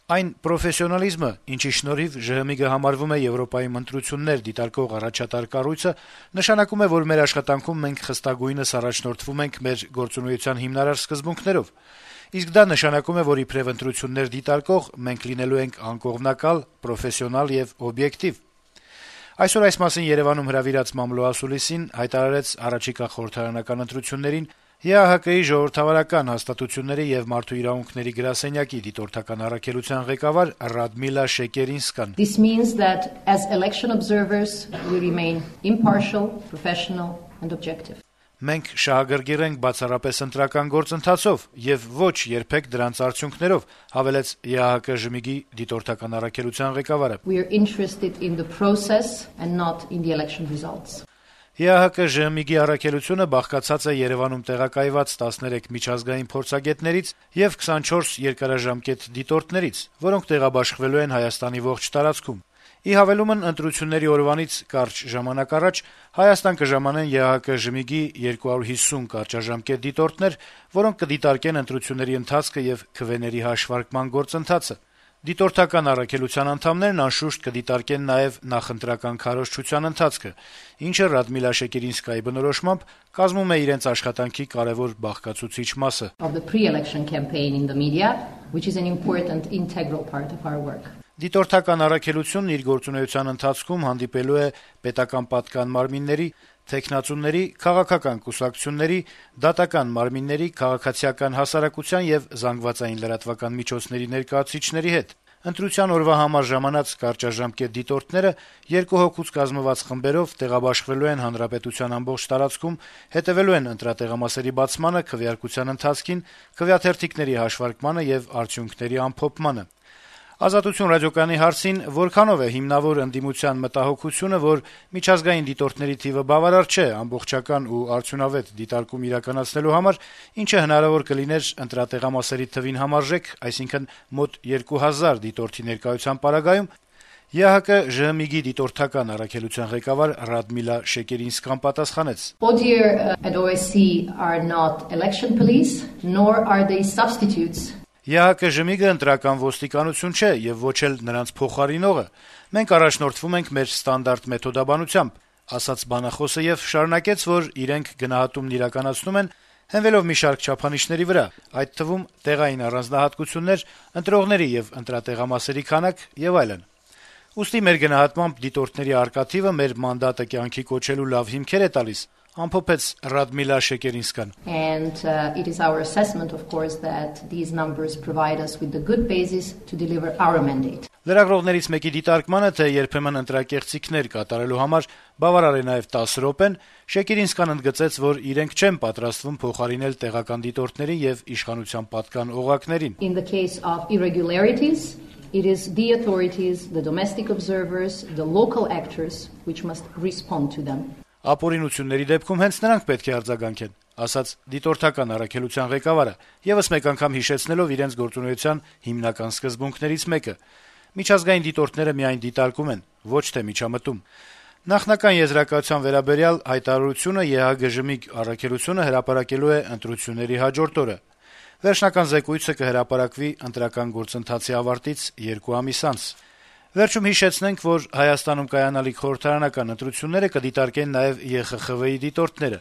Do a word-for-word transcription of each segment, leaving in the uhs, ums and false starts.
Այն պրոֆեսիոնալիզմը, ինչի շնորհիվ ԺՀՄԻԳ-ը համարվում է Եվրոպայում ընտրություններ դիտարկող առաջատար կառույցը, նշանակում է, որ մեր աշխատանքում մենք խստագույնս առաջնորդվում ենք մեր գործունեության հիմնարար սկզբունքներով: Իսկ դա նշանակում է, որ իբրեւ ընտրություններ դիտարկող մենք լինելու ենք անկողմնակալ, պրոֆեսիոնալ եւ օբյեկտիվ: Այսօր այս մասին Երեւանում հրավիրած մամլոասուլիսին հայտարարեց առաջիկա խորհրդարանական ընտրություններին ԵԱՀԿ-ի ժողովրդավարական հաստատությունների եւ մարդու իրավունքների գրասենյակի դիտորդական առաքելության ղեկավար Ռադմիլա Շեկերինսկան: This means that as election observers we remain impartial, professional and objective. Մենք շահագրգիռ ենք բացառապես ընտրական գործընթացով եւ ոչ երբեք դրանց արդյունքներով, հավելեց ԵԱՀԿ-ԺՄԻԳ-ի դիտորդական առաքելության ղեկավարը: We are interested in the process and not in the election results. ԵԱՀԿ-ԺՄԻԳ-ի առաքելությունը բաղկացած է Երեւանում տեղակայված տասներեք միջազգային փորձագետներից եւ քսանչորս երկարաժամկետ դիտորդներից, որոնք տեղաբաշխվելու են Հայաստանի ողջ տարածքում: Ի հավելումն ընտրությունների օրվանից կարճ ժամանակ առաջ Հայաստան կժամանեն ԵԱՀԿ-ԺՄԻԳ-ի երկու հարյուր հիսուն կարճաժամկետ դիտորդներ, որոնք կդիտարկեն ընտրությունների ընթացքը եւ քվեների հաշվարկման գործընթացը: Դիտորդական առաքելության անդամներն անշուշտ կդիտարկեն նաեւ նախընտրական քարոզչության ընթացքը, ինչը Ռադմիլա Շեկերինսկայի բնորոշմամբ կազմում է իրենց աշխատանքի կարեւոր բաղկացուցիչ մասը: Of the pre-election campaign in the media, which is an important integral part of our work. Դիտորդական առաքելությունն իր գործունեության ընթացքում հանդիպելու է պետական պատկան մարմինների, թեկնածուների, քաղաքական կուսակցությունների, դատական մարմինների, քաղաքացիական հասարակության եւ զանգվածային լրատվական միջոցների ներկայացուցիչների հետ: Ընտրության օրվա համար ժամանած կարճաժամկետ դիտորդները երկու հոգուց կազմված խմբերով տեղաբաշխվելու են հանրապետության ամբողջ տարածքում, հետեւելու են ընտրատեղամասերի բացմանը, քվեարկության ընթացքին, քվեաթերթիկների հաշվարկմանը եւ արդյունքների ամփոփմանը: «Ազատություն» ռադիոկայանի հարցին որքանով է հիմնավոր ընդդիմության մտահոգությունը, որ միջազգային դիտորդների թիվը բավարար չէ ամբողջական ու արդյունավետ դիտարկում իրականացնելու համար, ինչը հնարավոր կլիներ ընտրատեղամասերի թվին համարժեք, այսինքն մոտ երկու հազար դիտորդի ներկայության պարագայում, ԵԱՀԿ-ԺՀՄԻԳ-ի դիտորդական առաքելության ղեկավար Ռադմիլա Շեկերինսկան պատասխանեց. ODIHR and O S C are not election police, nor are they substitutes. ԵԱՀԿ-ԺՄԻԳ-ը ընտրական ոստիկանություն չէ եւ ոչ էլ նրանց փոխարինողը: Մենք առաջնորդվում ենք մեր ստանդարտ մեթոդաբանությամբ, ասաց բանախոսը եւ շարունակեց, որ իրենք գնահատումն իրականացնում են հենվելով մի շարք չափանիշների վրա, այդ թվում տեղային առանձնահատկություններ, ընտրողների եւ ընտրատեղամասերի քանակ եւ այլն: Ուստի մեր գնահատմամբ դիտորդների առկա թիվը մեր մանդատը կյանքի կոչելու լավ հիմքեր է տալիս, ամփոփեց Ռադմիլա Շեկերինսկան: And uh, it is our assessment, of course, that these numbers provide us with the good basis to deliver our mandate. Լրագրողներից մեկի դիտարկմանը, թե երբեմն ընտրակեղծիքներ կատարելու համար բավարար է նաեւ տասը րոպեն, Շեկերինսկան ընդգծեց, որ իրենք չեն պատրաստվում փոխարինել տեղական դիտորդների եւ իշխանության պատկան օղակներին. In the case of irregularities, it is the authorities, the domestic observers, the local actors which must respond to them. Ապօրինությունների դեպքում հենց նրանք պետք է արձագանքեն, ասաց դիտորդական առաքելության ղեկավարը, եւս մեկ անգամ հիշեցնելով իրենց գործունեության հիմնական սկզբունքներից մեկը. միջազգային դիտորդները միայն դիտարկում են, ոչ թե միջամտում: Նախնական եզրակացության վերաբերյալ հայտարարությունը ԵԱՀԿ-ԺՄԻԳ առաքելությունը հրապարակելու է ընտրությունների հաջորդ օրը: Վերջնական զեկույցը կհրապարակվի ընտրական գործընթացի ավարտից երկու ամիս անց: Վերջում հիշեցնենք, որ Հայաստանում կայանալիք խորհրդարանական ընտրությունները կդիտարկեն նաեւ ԵԽԽՎ-ի դիտորդները: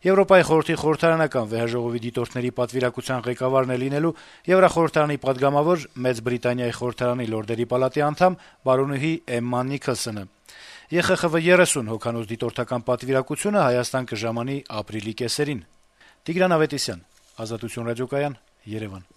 Եվրոպայի խորհրդի խորհրդարանական վեհաժողովի դիտորդների պատվիրակության ղեկավարն է լինելու Եվրախորհրդարանի պատգամավոր Մեծ Բրիտանիայի խորհրդարանի լորդերի պալատի անդամ բարոնուհի Էմմա Նիքլսոնը: ԵԽԽՎ երեսուն հոգանոց դիտորդական պատվիրակությունը Հայաստան կժամանի ապրիլի կեսերին: Տիգրան Ավետիսյան, Ազատություն ռադիոկայան, Երևան: